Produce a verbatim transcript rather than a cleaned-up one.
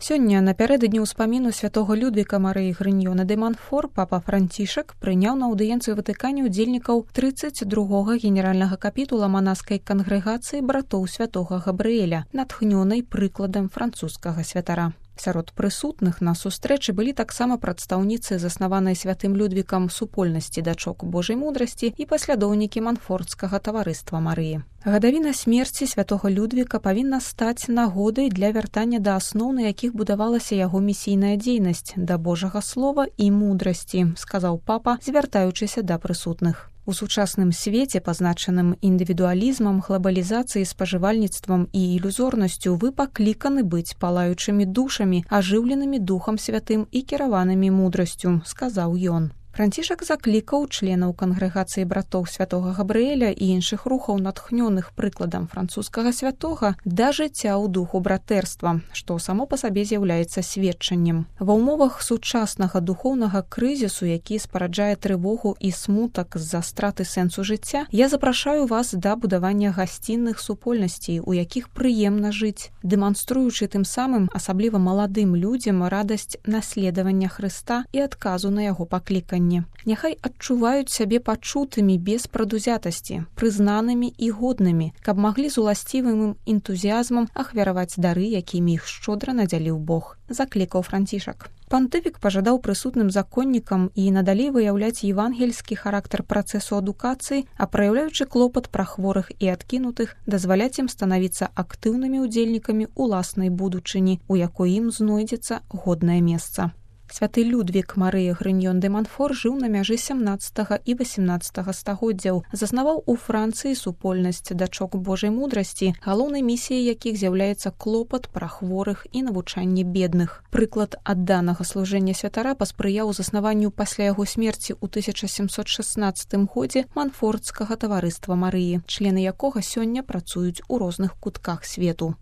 Сёння, напярэдадні ўспаміну святога Людвіка Марыі Грыньёна де Монфор, папа Францішак прыняў на аўдыенцыю Ватыкане ўдзельнікаў трыццаць другога генеральнага капітула манаскай кангрэгацыі братоў святога Габрыэля, натхнёнай прыкладам французскага святара. Сярод прысутных на сустрэчы былі таксама прадстаўніцы заснаванай святым Людвікам супольнасці дачок Божай мудрасці і паслядоўнікі Монфордскага таварыства Марыі. Гадавіна смерці святога Людвіка павінна стаць нагодай для вяртання да асноў, на якіх будавалася яго місійная дзейнасць, да Божага слова і мудрасці, сказаў папа, звяртаючыся да прысутных. У сучасным свеце, пазначаным індывідуалізмам, глабалізацыяй, спажывальніцтвам і ілюзорнасцю, вы пакліканы быць палаючымі душамі, ажыўленымі Духам Святым і кіраванымі мудрасцю, сказаў ён. Францішак заклікаў членаў кангрэгацыі братоў святога Габрыэля і іншых рухаў, натхнёных прыкладам французскага святога, да жыцця ў духу братэрства, што само па сабе з'яўляецца сведчаннем. Ва ўмовах сучаснага духоўнага крызісу, які спараджае трывогу і смутак з-за страты сэнсу жыцця, я запрашаю вас да будавання гасцінных супольнасцей, у якіх прыемна жыць, дэманструючы тым самым асабліва маладым людзям радасць наследавання Хрыста і адказу на яго пакліканне. Няхай адчуваюць сябе пачутымі без прадузятасці, прызнанымі і годнымі, каб маглі з уласцівым энтузіязмам ахвяраваць дары, якімі іх шчодра надзяліў Бог, заклікаў Францішак. Пантыфік пажадаў прысутным законнікам і надалей выяўляць евангельскі характар працэсу адукацыі, а праяўляючы клопат пра хворых і адкінутых, дазваляць ім станавіцца актыўнымі ўдзельнікамі уласнай будучыні, у якой ім знойдзецца годнае месца. Святы Людвік Марыя Грыньён де Монфор жыў на мяжы сямнаццатага і васемнаццатага стагоддзяў, заснаваў у Францыі супольнасць дачок Божай мудрасці, галоўнай місіяй якіх з'яўляецца клопат пра хворых і навучанне бедных. Прыклад адданага служэння святара паспрыяў заснаванню пасля яго смерці ў тысяча сямсот шаснаццатым годзе Монфордскага таварыства Марыі, члены якога сёння працуюць у розных кутках свету.